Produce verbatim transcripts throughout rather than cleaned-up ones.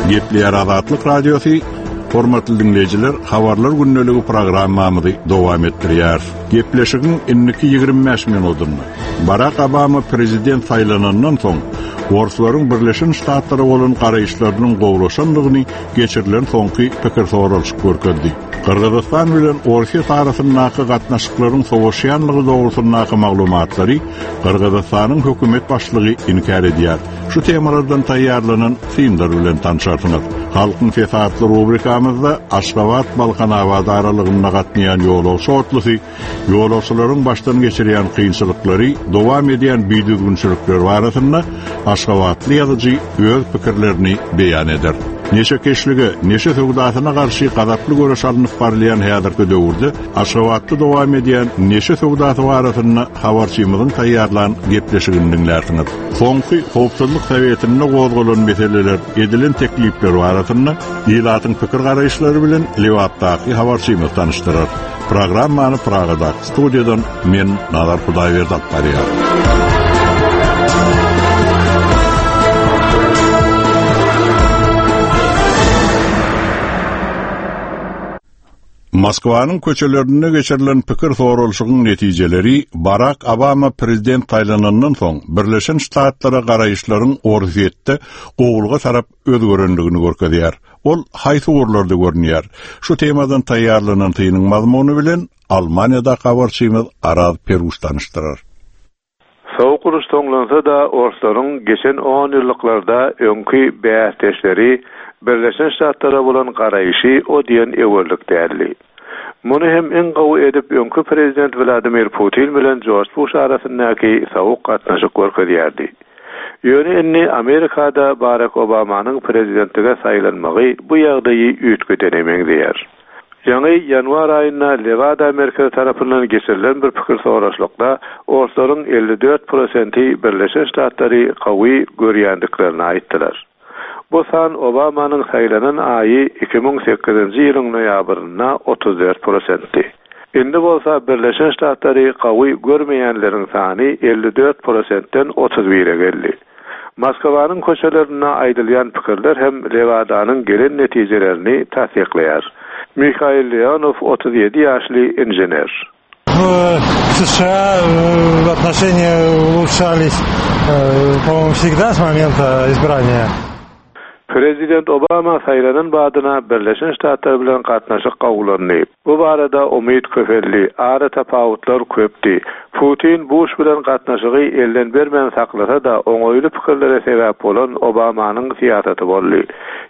Gepleýär Azatlyk Radiosy. Hormatly dinleýjiler, habarlar gündeligi programmamyzy dowam etdirýär. Gepleşigiň indiki ýigrimi bäş minutynda Barack Obama prezident saýlanandan soň Orslaryň Birleşen Ştatlara bolan garaýyşlarynyň gowulaşandygyny geçirilen soňky pikir soralyşyk görkezdi. Gyrgyzystan bilen Orsýet arasyndaky gatnaşyklaryň sowaşýanlygy dogrusyndaky maglumatlary Gyrgyzystanyň hökümet başlygy inkär edýär. Şu temalardan taýýarlanan synlar bilen tanşarsyňyz. Halkyň sesi atly rubrikamyzda Aşgabat Balkanabat aralygynda gatnaýan ýolagçy otlusy, ýolagçylaryň başdan geçirýän kynçylyklary, dowam edýän bidüzgünçilikler barasynda Aşgabatly ýazyjy öz pikirlerini beýan eder. Neşekeşlige, neşe söwdasyna garşy gazaply göreş alnyp barylýan häzirki döwürde Aşgabatda dowam edýän neşe söwdasy barasynda habarçymyzyň taýýarlan gepleşigini dinlärsiňiz. Soňky Howpsuzlyk Sowetinde gozgalan meseleler, edilen teklipler barasynda ilatyň pikir garaýyşlary bilen Lebapdaky habarçymyz tanışdyrar. Programmany Pragadaky studiýadan men Nazar Hudaýberdi alyp barýar. Moskwanyň köçelerinde geçirilen pikir soralyşygyň netijeleri Barack Obama prezident saýlanandan soň Birleşen Ştatlara garaýyşlaryň Orsýetde gowulga tarap özgerendigini görkezýär. Ol haýsy ugurlarda görünýär? Şu temadan taýýarlanan synyň mazmuny bilen Almaniýada habarçymyz Araz Peruş tanışdyrar. Soğuk uruş soňlansa da Orslaryň geçen on ýyllyklarda öňki bäsdeşleri Birleşen Ştatlara bolan garaýşy o diýen öwerlik däldi. Muny hem iň gowy edip öňki prezident Vladimir Putin bilen George Bush arasyndaky soğuk gatnaşyk görkezýärdi. Ýöne indi Amerikada Barack Obamanyň prezidentlige saýlanmagy bu ýagdaýy üýtgedene meňzeýär. Ýaňy ýanwar aýynda Lewada merkezi tarapyndan geçirilen bir pikir soraşlykda Orslaryň elli dört prosenti Birleşen Ştatlary gawy görýändiklerini aýtdylar. Bu san Obamanyň saýlanan aýy iki müň sekizinji ýylyň noýabrynda otuz dört prosentdi. Indi bolsa Birleşen Ştatlary gawy görmeýänleriň sany elli dört prosentden otuz bire geldi. Moskwanyň köçelerinde aýdylýan pikirler hem Lewadanyň gelen netijelerini tassyklaýar. Mikhail Leonov otuz ýedi ýaşly inžener. В США, э, отношения улучшались, э, по-моему, всегда с момента избрания. Prezident Obama saýlanan badyna Birleşen Ştatlar bilen gatnaşyk gawulandy. Bu barada umyt köpeldi, ara tapawutlar köpdi. Putin Bush bilen gatnaşygy elden bermän saklasa da oňaýly pikirlere sebäp bolan Obamanyň syýasaty boldy.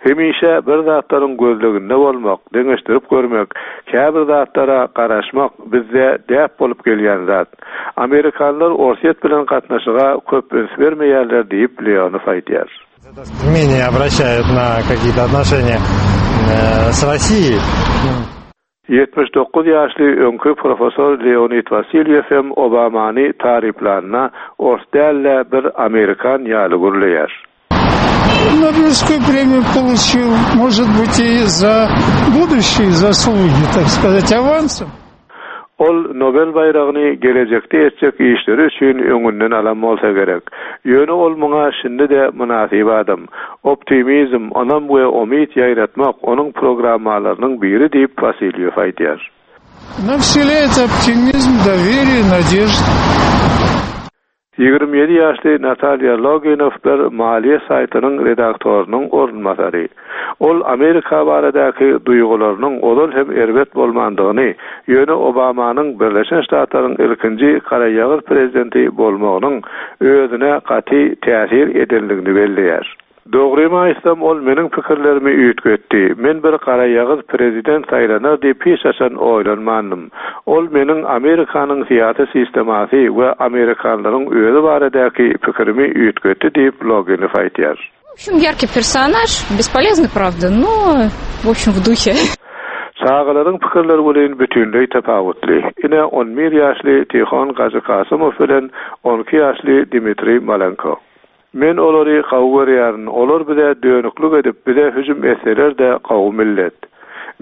Hemişe bir zatlaryň gözleginde bolmak, deňeşdirip görmek, käbir zatlara garaşmak bizde däp bolup gelýän zat. Amerikanlar Orsýet bilen gatnaşyga köp üns bermeýärler diýip Leonov aýdýar. Менее обращают на какие-то отношения, э, с Россией. Ýetmiş dokuz ýaşly öňki professor Leonid Wasilýew hem Obamany taryplanyna ors däl-de bir Amerikan ýaly gürleýär. Нобелевскую премию получил, может быть, и за будущие заслуги, так сказать, авансом. Ol Nobel baýragyny gelejekde etjek işleri üçin öňünden alan bolsa gerek. Ýöne ol muňa şindi-de mynasyp adam. Optimizm, onam we umyt ýaýratmak onuň programmalarynyň biri diýip Wasilýew aýdýar. Нам вселяет оптимизм, доверие, надежду. Ýigrimi ýedi ýaşly Natalýa Loginov bir maliýe saýtynyň redaktorynyň orunbasary. Ol Amerika baradaky duýgularynyň ozal hem erbet bolmandygyny, ýöne Obamanyň Birleşen Ştatlaryň ilkinji garaýagyz prezidenti bolmagynyň özüne gaty täsir edenligini belleýär. Dogrymy aýtsam, ol meniň pikirlerimi üýtgetdi. Men bir garaýagyz prezident saýlanar diýip hiç haçan oýlanmandym. Ol meniň Amerikanyň syýasy sistemasy we Amerikanlaryň özi baradaky pikirimi üýtgetdi diýip Loginov aýdýar. В общем, яркий персонаж, бесполезный, правда, но, в общем, в духе. Çagalaryň pikirleri bilen bütünleý tapawutly. Ine on bir ýaşly Tihon Gazykasymov bilen on iki ýaşly Dmitri Malenko. Men olary gawy görýärin, olar bize dönüklük edip, bize hüjüm etseler-de gawy millet.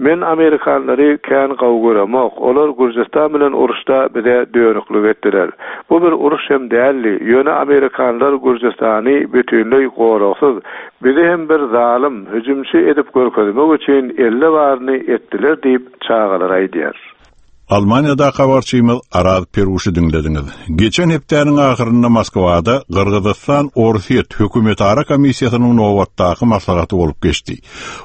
Men amerikanlary kän gowy göremok. Olar Gürjüstan bilen uruşda bize dönüklik etdiler. Bu bir uruş hem däldi. Ýöne amerikanlar Gürjüstany bütinleý goragsyz, bizi hem bir zalym, hüjümçi edip görkezmek üçin elle baryny etdiler diýip çagalar aýdýar. Almaniýada habarçymyz Araz Peruşy diňlediňiz. Geçen hepdäniň ahyrynda Moskwada Gyrgyzystan Orsýet hökümetara komissiýasynyň nobatdaky maslahaty bolup geçdi.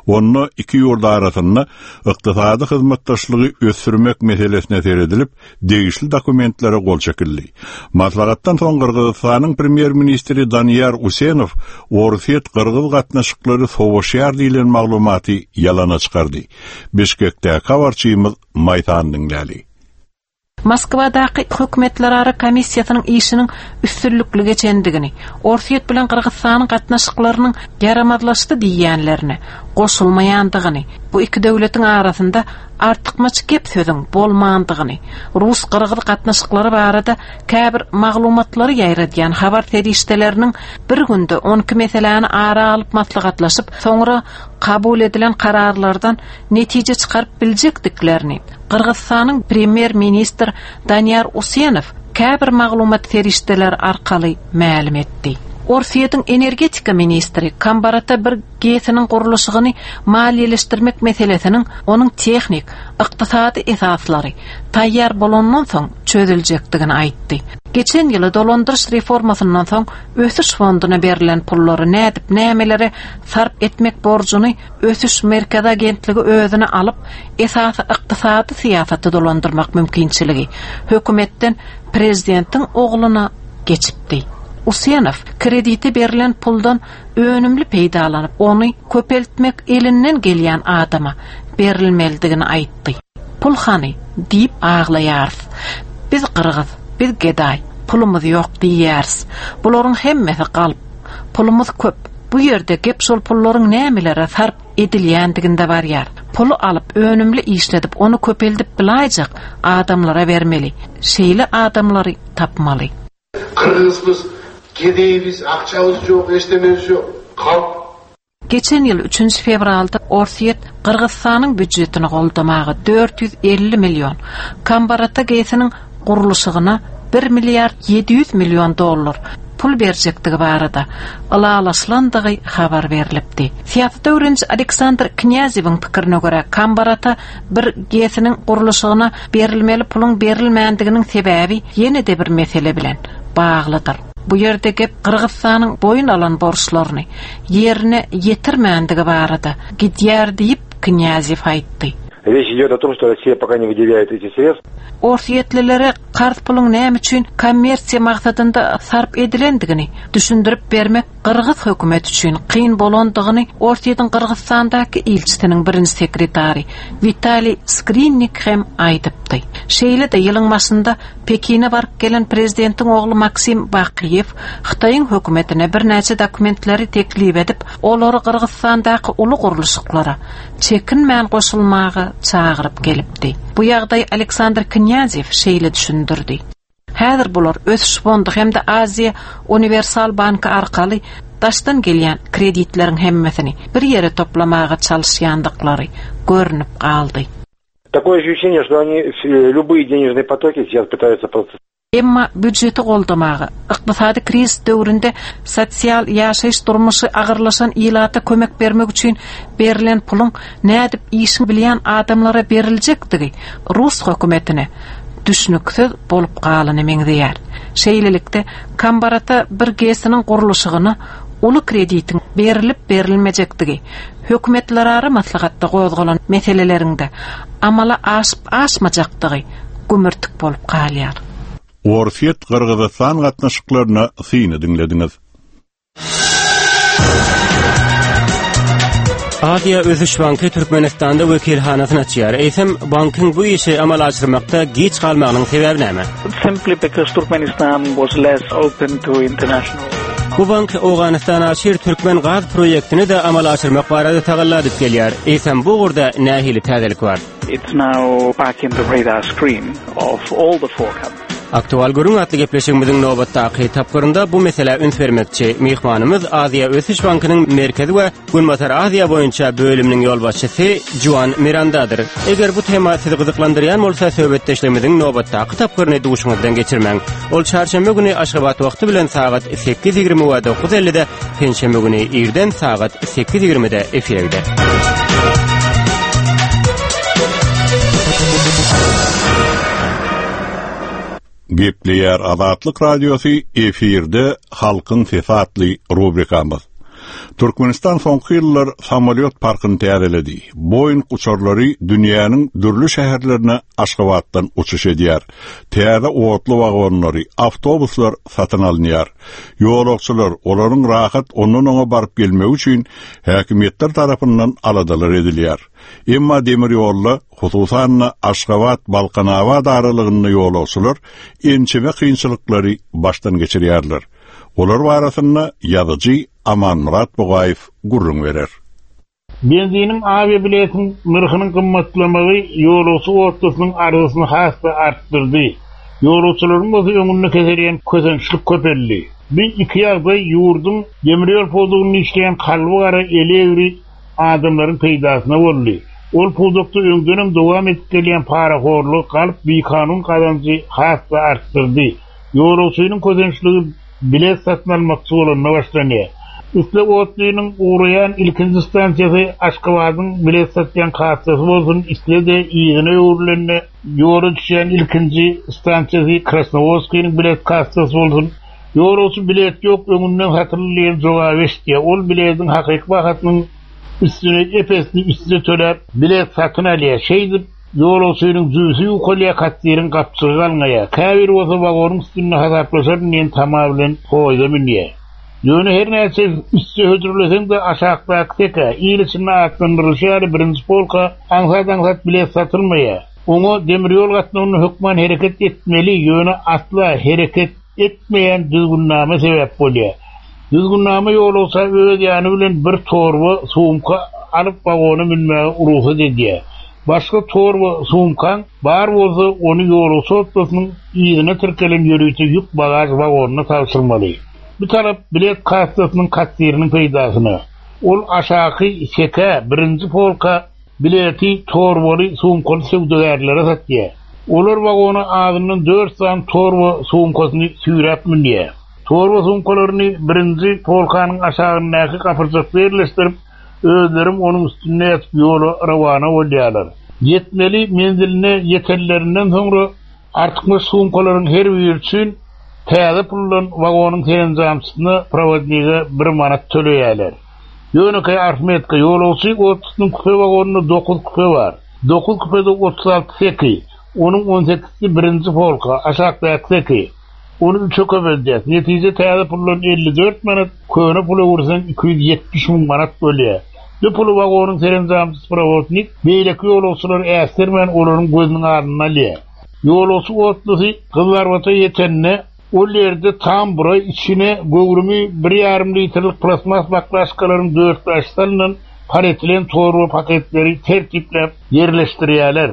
Onda iki ýurt arasynda ykdysady hyzmatdaşlygy ösdürmek meselesine seredilip, degişli dokumentlere gol çekildi. Maslahatdan soň Gyrgyzystanyň premýer-ministri Daniýar Usenow Orsýet Gyrgyz gatnaşyklary sowaşýar diýlen maglumaty ýalana çykardy. Bişkekde habarçymyz Maýsan diňläli. Moskwadaky hökümetlerara komissiýasynyň işiniň üstünlikli geçendigini, Orsýet bilen Gyrgyzystanyň gatnaşyklarynyň ýaramazlaşdy diýýänlerine goşulmaýandygyny, bu iki döwletiň arasynda artykmaç gep sözüň bolmandygyny, rus-gyrgyz gatnaşyklary barada käbir maglumatlary ýaýradýan habar serişdeleriniň bir günde on iki meseläni ara alyp maslahatlaşyp, soňra kabul edilen kararlardan netije çykaryp biljekdiklerini Gyrgyzystanyň premýer-ministr Daniýar Usenow käbir maglumat serişdeleri arkaly mälim etdi. Orsýetiň energetika ministri Kambarata bir GES-niň gurluşygyny maliýeleşdirmek meselesiniň onuň tehnik, ykdysady esaslary taýýar bolandan soň çözüljekdigini aýtdy. Geçen ýyly dolandyryş reformasyndan soň ösüş fonduna berlen pullary nädip nämelere sarp etmek borjuny Ösüş Merkezi Agentligi özüne alyp, esasy ykdysady syýasaty dolandyrmak mümkinçiligi hökümetden prezidentiň ogluna geçipdi. Usenow kredite berlen puldan önümli peýdalanyp, ony köpeltmek elinden gelýän adama berilmelidigini aýtdy. Pul hany diýip aglaýarys. Biz gyrgyz, biz gedaý, pulumyz ýok diýýäris. Bularyň hemmesi galp. Pulumyz köp. Bu ýerde gep şol pullaryň nämelere sarp edilýändiginde barýar. Puly alyp, önümli işledip, ony köpeldip bilaýjak adamlara bermeli. Şeýle adamlary tapmaly. Kyrgyzbыз, gedeýbiz, akçamyz ýok, eşdememiz ýok. Kalp. Geçen ýyl üçünji fewralda Orsýet Gyrgyzystanyň býujetini goldamaga dört ýüz elli million, Kambarata GES-niň gurluşygyna bir milliard ýedi ýüz million dollar pul berjekdigi barada ylalaşylandygy habar berlipdi. Syýasat öwreniji Aleksandr Knýazewiň pikirine görä, Kambarata bir GES-niň gurluşygyna berilmeli puluň berilmändiginiň sebäbi ýene-de bir mesele bilen baglydyr. Bu ýerde gep Gyrgyzystanyň boýun alan borçlaryny ýerine ýetirmändigi barada gidýär diýip Knýazew aýtdy. Речь идет о том, что Россия пока не выделяет эти средства. Orsýetlilere karz puluň näme üçin kommersiýa maksadynda sarp edilendigini düşündirip bermek Gyrgyz hökümeti üçin kyn bolandygyny Orsýetiň Gyrgyzystandaky ilçisiniň birinji sekretary Witaliý Skrinnik hem aýdypdy. Şeýle-de ýylyň başynda Pekine baryp gelen prezidentiň ogly Maksim Bakiýew Hytaýyň hökümetine birnäçe dokumentleri teklip edip, olary Gyrgyzystandaky uly gurluşyklara çekinmän goşulmaga çagyryp gelipdi. Bu ýagdaý Aleksandr Knýazew şeýle düşündirdi. Häzir bular ösüş fondy hem-de Aziýa Uniwersal Banky arkaly daşdan gelýän kreditleriň hemmesini bir ýere toplamaga çalyşýandyklary görünip galdy. Такое ощущение, что они любые денежные потоки сейчас пытаются просто Emma býujeti goldamaga, ykdysady krizis döwründe sosial ýaşaýyş durmuşy agyrlaşan ilata kömek bermek üçin berlen puluň nädip işin bilýän adamlara beriljekdigi rus hökümetine düşnüksiz bolup galyny meňzeýär. Şeýlelikde Kambarata bir GES-niň gurluşygyna uly kreditiň berilip berilmejekdigi hökümetlerara maslahatda gozgalan meselelerinde amala aşyp aşmajakdygy gümürtik bolup galýar. Orsýet Gyrgyzystan gatnaşyklaryna syny diňlediňiz. Aziýa Ösüş Banky Türkmenistanda wekilhanasyny açýar. Eýsem bankyň bu işi amala aşyrmakda geç galmagynyň sebäbi näme? Simply because Turkmenistan was less open to international. Bu bank Owganystan aşyr Türkmen gaz proýektini de amala aşyrmak barada tagalla edip gelýär. Eýsem bu ugurda nähili täzelik bar? It's now back in the radar screen of all the four countries. Aktual gürrüň atly gepleşigimiziň nobatdaky tapgyrynda bu meselä üns bermekçi. Myhmanymyz Aziýa Ösüş Bankynyň Merkezi we Günbatar Aziýa boýunça bölüminiň ýolbaşçysy Juan Mirandadyr. Eger bu tema sizi gyzyklandyrýan bolsa, söhbetdeşligimiziň nobatdaky tapgyryny duşuňyzdan geçirmäň. Ol çarşenbe güni Aşgabat wagty bilen sagat sekiz ýigrimi we dokuz ellide, penşenbe güni irden sagat sekiz ýigrimide efire gider. Gepleýär Azatlyk Radiosy efirde Halkyň Sesi atly rubrikamyz. Türkmenistan soňky ýyllar samolýot parkyny täzeledi. Boeing uçarlary dünýäniň dürli şäherlerine Aşgabatdan uçuş edýär. Täze otly wagonlary, awtobuslar satyn alynýar. Ýolagçylar olaryň rahat ondan oňa baryp gelmegi üçin häkimiýetler tarapyndan aladalar edilýär. Emma demir ýolda, hususan-da Aşgabat Balkanabat aralygynda ýolagçylar ençeme kynçylyklary başdan geçirýärler. Olar barasynda ýazyjy Amanmyrat Bugaýew gürrüň berer. Benziniň awiabiletin nyrhynyň gymmatlamagy ýolagçy otlusynyň arzysyny has-da artdyrdy. Ýolagçylaryň bolsa öňünde keselýän kösençlik köpeldi. Bir iki ýagdaý ýurduň demir ýol pudagynda işleýän kalby gara eli egri adamlaryň peýdasyna boldy. Ol pudakda öňdenem dowam edip gelýän parahorlyk galyp bikanun gazanjy has-da artdyrdy. Ýolagçynyň kösençligi bilet satyn almakçy bolanda başlanýar. Isle otlynyň ugraýan ilkinji stansiýasy Aşgabadyň bilet satýan kassasy bolsun, isle-de yzyna öwrülende ýola düşýän ilkinji stansiýasy Krasnowodskiniň bilet kassasy bolsun. Ýolagçy bilet ýok, öňünden satyldy diýen jogaby eşitýär. Ol biletiň hakyky bahasynyň üstüne epesini üstüne töläp bilet satyn alýar. Şeýdip ýolagçynyň jübüsi ýukalýar, kassiriň gapçygy galňaýar. Käbir bolsa wagonyň üstünde hasaplaşaryn diýen tama bilen poýza münýär. Ýöne her näçe üstü hödürleseň de aşakdaky seke, il içinde atlandyrylyşy ýaly birinji polka aňsat-aňsat bilet satylmaýar. Oňa demir ýol gatnawyny hökman hereket etmeli, ýöne asla hereket etmeýän düzgünnama sebäp bolýar. Düzgünnama ýolagça öz ýany bilen bir torba sumka alyp wagona münmäge rugsat edýär. Başga torba sumkaň bar bolsa ony ýolagçy otlusynyň yzyna tirkelen ýörite ýük bagaž wagonyna tabşyrmaly. Bu tarap bilet kassasynyň kassiriniň peýdasyna. Ol aşaky seke birinji polka bileti torbaly sumkaly söwdagärlere satýar. Olar wagona azyndan dört sany torba sumkasyny süýräp münýär. Torba sumkalaryny birinji polkanyň aşagyndaky gapyrjakda ýerleşdirip, özlerim onuň üstünde ýatyp ýola rawana bolýarlar. Ýetmeli menziline ýetenlerinden soňra artykmaç sumkalaryň her biri üçin täze puldan wagonyň serenjamçysyna prowodnige bir manat töleýärler. Ýönekeý arifmetika ýolagçy otlusynyň küpe wagonynda dokuz küpe bar. Dokuz küpede otuz alty seki, onuň on sekizsi birinji polka, aşakdaky seki. Ony üçe köpeldýär. Netije täze puldan elli dört manat, köne pula öwürseň iki ýüz ýetmiş müň manat bolýar. Bu puly wagonyň serenjamçysy prowodnik beýleki ýolagçylar äsgermän olaryň gözüniň alnynda alýar. Ýolagçy otlusy Gyzlarbata ýetende ol ýerde tambura içine göwrümi bir ýarym litrlik plastmas baklaşkalaryň dört bäş salynan paretilen torba paketleri tertipläp ýerleşdirýärler.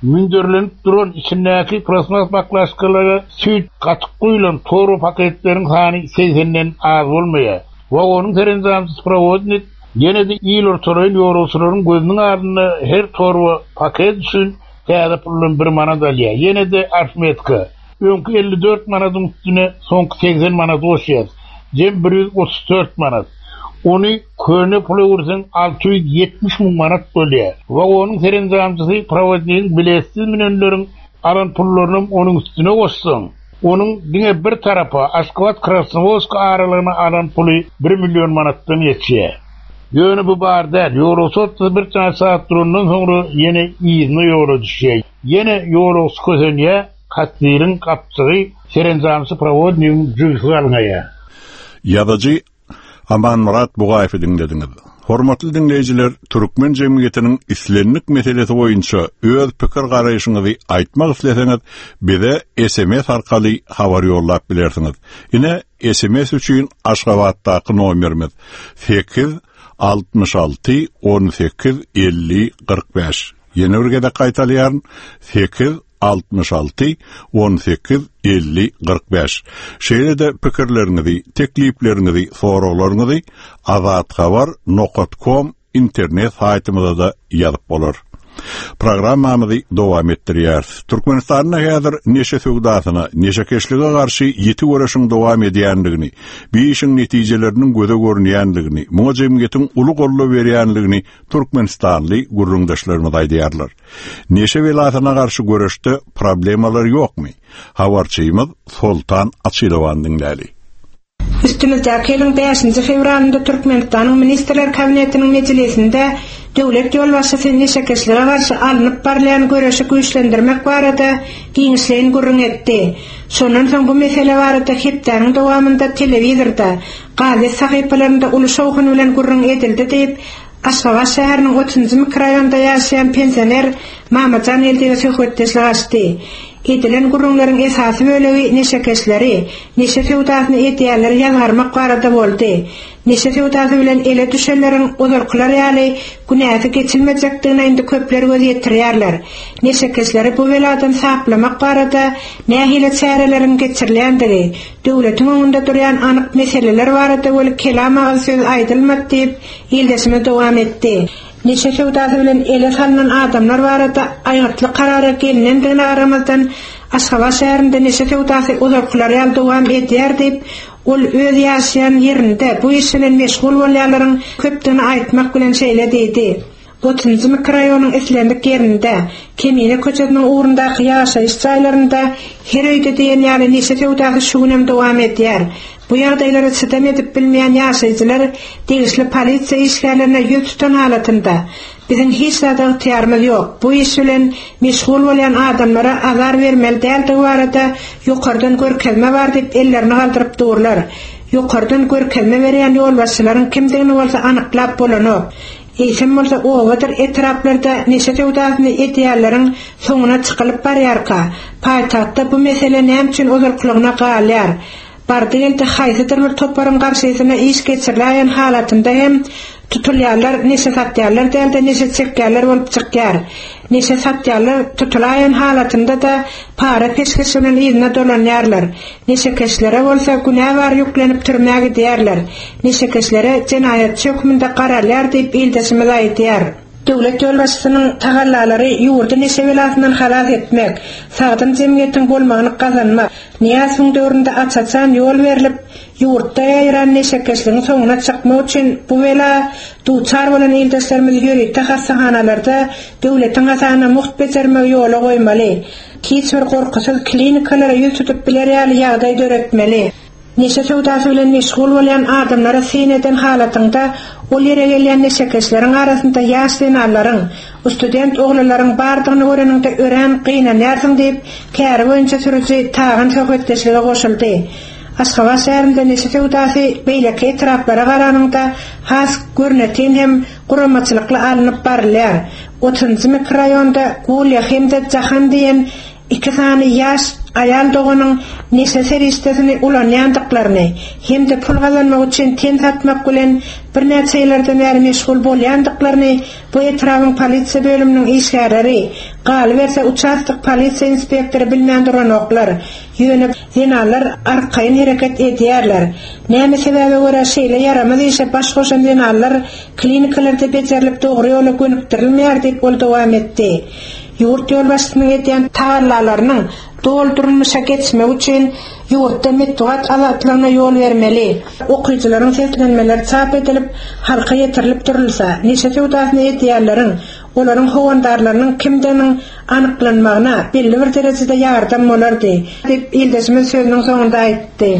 Münderlenip duran içindäki plastmas baklaşkalara süýt gatyk guýulan torba paketleriň sany segsenden az bolmaýar. Wagonyň serenjamçysy prowodnik ýene-de il ortalaýyn ýolagçylaryň gözüniň alnynda her torba paket üçin täze puldan bir manat alýar. Ýene-de arifmetika. Öňki elli dört manadyň üstüne soňky segsen manat goşýar. Jem bir ýüz otuz dört manat. Ony köne pula öwürseň alty ýüz ýetmiş müň manat bolýar. Wagonyň serenjamçysy prowodnigiň biletsiz münenleriň alan pullaryny onuň üstüne goşsaň, onuň diňe bir tarapa Aşgabat Krasnowodsk aralygyna alan puly bir million manatdan geçýär. Ýöne bu bar däl. Ýolagçy otlusy bir çaý saat durandan soňra ýene yzyna ýola düşýär. Ýene ýolagçy kösenýär, kassiriň gapçygy serenjamçy prowodnigiň jübüsi galňaýar. Ýazyjy Amanmyrat Bugaýewi diňlediňiz. Hormatly diňleýjiler, Türkmen jemgyýetiniň islendik meselesi boýunça öz pikir garaýşyňyzy aýtmak isleseňiz, bize S M S arkaly habar ýollap bilersiňiz. Ine S M S üçin Aşgabatdaky nomerimiz sekiz altmyş alty on sekiz elli kyrk bäş. Ýene bir gezek gaýtalayaryn. Sekiz altmyş alty on sekiz elli kyrk bäş. Şeýle-de pikirleriňizi, teklipleriňizi, soraglaryňyzy azathabar nokat kom internet saýtymyza-da ýazyp bolar. Programmamyzy dowam etdirýäris. Türkmenistanda häzir neşe söwdasyna, neşekeşlige garşy ýiti göreşiň dowam edýändigini, bu işiň netijeleriniň göze görünýändigini, muňa jemgyýetiň uly goldaw berýändigini Türkmenistanly gürrüňdeşlerimiz aýdýarlar. Neşe belasyna garşy göreşde problemalar ýokmy? Habarçymyz Soltan Açylowan diňläli. Üstümizdäki ýylyň bäşinji fewralynda Türkmenistanyň Ministrler Kabinetiniň mejlisinde döwlet ýolbaşçysy neşekeşlige garşy alnyp barylýan göreşi güýçlendirmek barada giňişleýin gürrüň etdi. Şondan soň bu mesele barada hepdäniň dowamynda telewizorda, gazet sahypalarynda uly şowhun bilen gürrüň edildi diýip, Aşgabat şäheriniň otuzynjy mikroraýonda ýaşaýan pensioner Mamajan Geldiýew söhbetdeşlik açdy. Edilen gürrüňleriň esasy bölegi neşekeşleri, neşe söwdasyny edýänleri ýazgarmak barada boldy. Neşe söwdasy bilen ele düşenleriň ozalkylar ýaly günäsi geçilmejekdigine indi köpler göz ýetirýärler. Neşekeşleri bu beladan saplamak barada nähili çäreleriň geçirilýändigi, döwletiň öňünde durýan anyk meseleler barada weli kelam agyz söz aýdylmady diýip, ildeşimiz dowam etdi. Neşe söwdasy bilen ele salynan adamlar barada aýgytly karara gelinendigine garamazdan Aşgabat şäherinde neşe söwdasy ozalkylar ýaly dowam edýär diýip, ol öz ýaşaýan ýerinde bu iş bilen meşgul bolýanlaryň köpdügini aýtmak bilen şeýle diýdi. Otuzynjy mikroraýonyň islendik ýerinde, Kemine köçesiniň ugrundaky ýaşaýyş jaýlarynda her öýde diýen ýaly neşe söwdasy şu günem dowam edýär. Bu ýagdaýlara çydam edip bilmeýän ýaşaýjylar degişli polisiýa işgärlerine ýüz tutan halatynda biziň hiç zada ygtyýarymyz ýok. Bu iş bilen meşgul bolýan adamlara azar bermeli däldigi barada ýokardan görkezme bar diýip ellerini galdyryp durlar. Ýokardan görkezme berýän ýolbaşçylaryň kimdigini bolsa anyklap bolanok. Eýsem bolsa obadyr etraplarda neşe söwdasyny edýänleriň soňuna çykylyp barýarka, paýtagtda bu mesele näme üçin ozalkylygyna galýar? Bardy geldi haýsydyr bir toparyň garşysyna iş geçiriläýen halatynda hem tutulýarlar, neşe satýarlar dälde neşe çekýärler bolup çykýar. Neşe satýarlar tutulaýan halatynda da para peşgeş bilen yzyna dolanýarlar. Neşekeşlere bolsa günä bar ýüklenip türmä gidýärler. Neşekeşlere jenaýatçy hökmünde garalýar diýip ildeşimiz aýdýar. Döwlet ýolbaşçysynyň tagallalary ýurdy neşe belasyndan halas etmek, sagdyn jemgyýetiň bolmagyny gazanmak, Nyýazowyň döwründe aç-açan ýol berlip, ýurtda ýaýran neşekeşligiň soňuna çykmak üçin bu bela duçar bolan ildeşlerimiz ýörite hassahanalarda döwletiň hasabyna mugt bejermegi ýola goýmaly. Hiç bir gorkusyz klinikalara ýüz tutup biler ýaly ýagdaý döretmeli. Neşe söwdasy bilen meşgul bolýan adamlara syn eden halatynda ol ýere gelýän neşekeşleriň arasynda ýaş zenanlaryň, student oglanlaryň bardygyny göreniňde örän gynanýarsyň diýip, käri boýunça sürüji Tagan söhbetdeşlige goşuldy. Aşgabat şäherinde neşe söwdasy beýleki etraplara garanyňda has görnetin hem guramaçylykly alnyp barylýar. Otuzynjy mikroraýonda Gulýa hem-de Jahan diýen iki sany ýaş aýal doganyň neşe serişdesini ulanýandyklaryny hem-de pul gazanmak üçin ten satmak bilen birnäçe ýyllardan bäri meşgul bolýandyklaryny bu etrabyň polisiýa bölüminiň işgärleri, galyberse uçastok polisiýa inspektory bilmän duranoklar. Ýöne zenanlar arkaýyn hereket edýärler. Näme sebäbe görä şeýle ýaramaz işe baş goşan zenanlar klinikalarda bejerilip dogry ýola gönükdirilmeýär diýip ol dowam etdi. Ýurt ýolbaşçysynyň edýän tagallalarynyň doldurylmyşa geçmek üçin ýurtda metbugat azatlygyna ýol bermeli. Okyjylaryň seslenmeleri çap edilip, halka ýetirilip durulsa, neşe söwdasyny edýänleriň, olaryň howandarlarynyň kimdiginiň anyklanmagyna belli bir derejede ýardam bolardy, diýip ildeşimiz sözüniň soňunda aýtdy.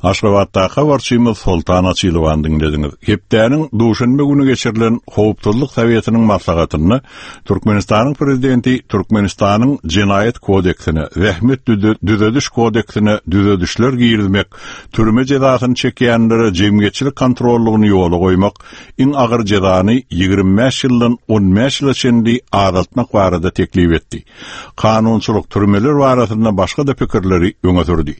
Aşgabatdaky habarçymyz Soltan Açylowan diňlediňiz. Hepdäniň duşenbe güni geçirilen Howpsuzlyk Sowetiniň maslahatynda Türkmenistanyň prezidenti Türkmenistanyň Jenaýat kodeksine, Zähmet düzediş kodeksine düzedişler girizmek, türme jezasyny çekýänlere jemgyýetçilik kontrollygyny ýola goýmak, iň agyr jezany ýigrimi bäş ýyldan on bäş ýyla çenli azaltmak barada teklip etdi. Kanunçylyk türmeler barasynda başga da pikirleri öňe sürdi.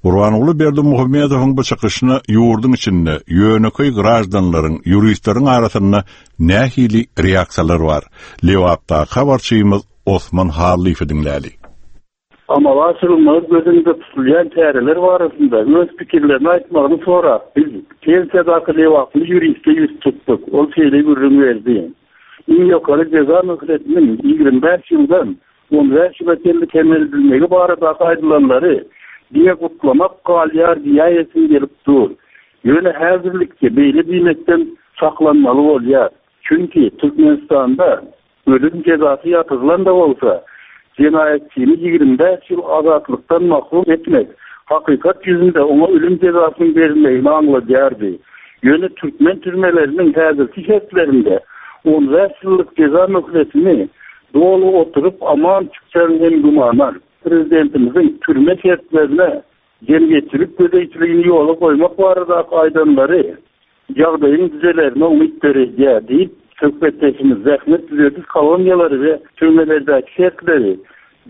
Gurbanguly Berdimuhamedowyň bu çykyşyna ýurduň içinde ýönekeý grajdanlaryň, ýuristleriň arasynda nähili reaksiýalar bar? Lebapdaky habarçymyz Osman Hallyýewi diňläli. Amala aşyrylmagy göz öňünde tutulýan çäreler barasynda öz pikirlerini aýtmagyny sorap, biz pensiýadaky lebaply ýuriste ýüz tutduk. Ol şeýle gürrüň berdi. Iň ýokary jeza möhletiniň ýigrimi bäş ýyldan on bäş ýyla çenli kemeldilmegi baradaky aýdylanlary diňe gutlamak galýar diýäýesim gelip dur. Ýöne häzirlikçe beýle diýmekden saklanmaly bolýar. Çünki Türkmenistanda ölüm jezasy ýatyrylan-da bolsa, jenaýatçyny ýigrimi bäş ýyl azatlykdan mahrum etmek hakykat ýüzünde oňa ölüm jezasynyň berilmegini aňladýardy. Ýöne türkmen türmeleriniň häzirki şertlerinde on bäş ýyllyk jeza möhletini doly oturyp aman çykjagyň hem gümana. Prezidentimiziň türme şertlerine jemgyýetçilik gözegçiligini ýola goýmak baradaky aýdanlary ýagdaýyň düzelerine umyt döredýär diýip, söhbetdeşimiz zähmet düzediş koloniýalary we türmelerdäki şertleri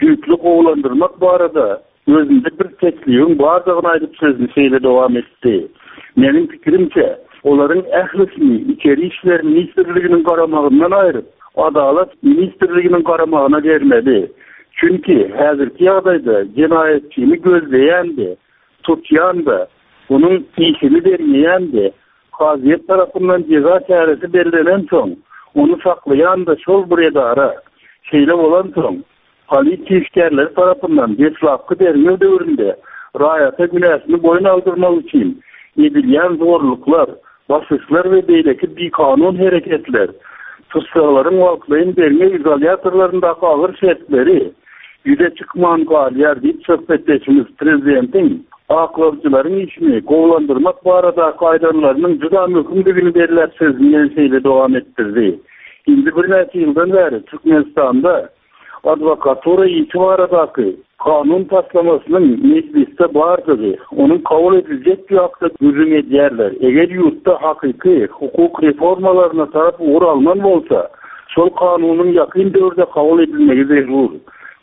düýpli gowulandyrmak barada özünde bir teklibiň bardygyny aýdyp sözüni şeýle dowam etdi. Meniň pikirimçe, olaryň ählisini Içeri işler ministrliginiň garamagyndan aýryp, Adalat ministrliginiň garamagyna bermeli. Çünki häzirki ýagdaýda jenaýatçyny gözleýän-de, tutýan-da, onuň işini derňeýän-de, kazyýet tarapyndan jeza çäresi bellenensoň, ony saklaýan-da şol bir edara. Şeýle bolansoň, polisiýa işgärleri tarapyndan deslapky derňew döwründe raýata günäsini boýun aldyrmak üçin edilýän zorluklar, basyşlar we beýleki bikanun hereketler, tussaglaryň wagtlaýyn derňew izolýatorlaryndaky agyr şertleri ýüze çykman galýar diýip söhbetdeşimiz prezidentiň aklawçylaryň işini gowulandyrmak baradaky aýdanlarynyň juda möhümdigini belläp sözüni ýene şeýle dowam etdirdi. Indi birnäçe ýyldan bäri Türkmenistanda adwokatura işi baradaky kanun taslamasynyň mejlisde bardygy, onuň kabul ediljekdigi hakda gürrüň edýärler. Eger ýurtda hakyky hukuk reformalaryna tarap ugur alnan bolsa, şol kanunyň ýakyn döwürde kabul edilmegi zerur.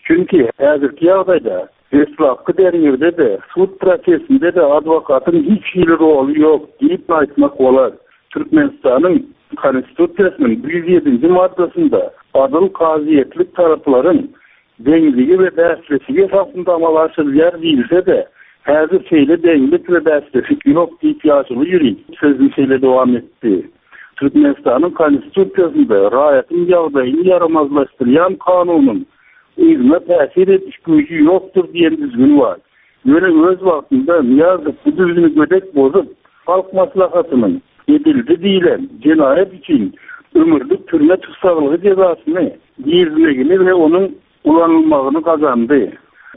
Çünki häzirki ýagdaýda deslapky derňewde-de, sud prosesinde-de adwokatyň hiç hili roly ýok diýip aýtmak bolar. Türkmenistanyň Konstitusiýasynyň ýüz ýedinji maddasynda adyl kazyýetlik taraplaryň deňligi we bäsleşigi esasynda amala aşyrylýar diýilse-de, häzir şeýle deňlik we bäsleşik ýok diýip ýaşuly ýurist sözüni şeýle dowam etdi. Türkmenistanyň Konstitusiýasynda raýatyň ýagdaýyny ýaramazlaşdyrýan kanunyň yzyna täsir ediş güýji ýokdur diýen düzgün bar. Ýöne öz wagtynda Nyýazow bu düzgüni gödek bozup, Halk Maslahatynyň edildi diýlen jenaýat üçin ömürlik türme tussaglygy jezasyny girizmegini we onuň ulanylmagyny gazandy.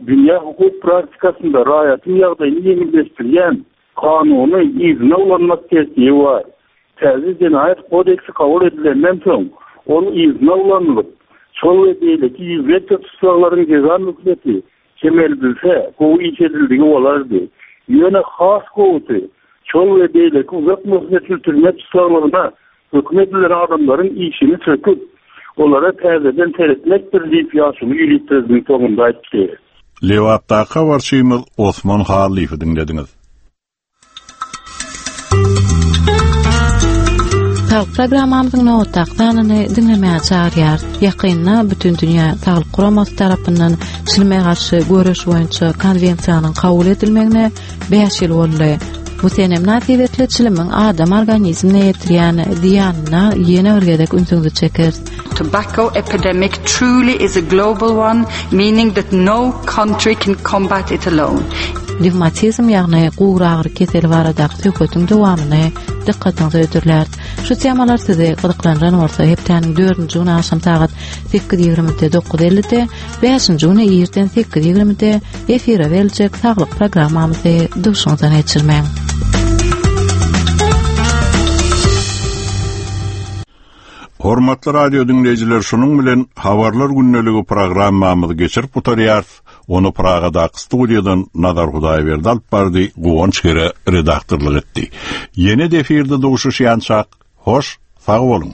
Dünýä hukuk praktikasynda raýatyň ýagdaýyny ýeňilleşdirýän kanuny yzyna ulanmak tertibi bar. Täze jenaýat kodeksi kabul edilenden soň, ol yzyna ulanylyp, şol we beýleki ýüzlerçe tussaglaryň jeza möhleti kemeldilse, gowy iş edildigi bolardy. Ýöne has gowusy, şol we beýleki uzak möhletli türme tussaglygyna höküm edilen adamlaryň işini söküp, olara täzeden seretmekdir diýip ýaşuly ýurist sözüniň soňunda aýtdy. Lebapdaky habarçymyz Osman Hallyýewi diňlediňiz. Saglyk programmamyzyň nobatdaky sanyny diňlemäge çagyrýar. Ýakynda Bütindünýä Saglyk Guramasy tarapyndan çilime garşy göreş boýunça konwensiýanyň kabul edilmegine bäş ýyl boldy. Bu sene mynasybetli çilimiň adam organizmine ýetirýän zyýanyna ýene bir gezek ünsüňizi çekeris. Tobacco epidemic truly is a global one, meaning that no country can combat it alone. Revmatizm ýagny gury agyry keseli baradaky söhbetiň dowamyny dykgatyňyza hödürläris. Şu temalar sizi gyzyklandyran bolsa, hepdäniň dördünji güni agşam sagat sekiz ýigrimide dokuz ellide, bäşinji güni irden sekiz ýigrimide efire beriljek saglyk programmamyzy duşuňyzdan geçirmäň. Hormatly radio dinleýjiler, şunuň bilen Habarlar gündeligi programmamyzy geçirip gutarýarys. Ony Pragadaky studiýadan Nazar Hudaýberdi alyp bardy, Guwanç Gere redaktorlyk etdi. Ýene de efirde duşuşýançak, hoş, sag boluň.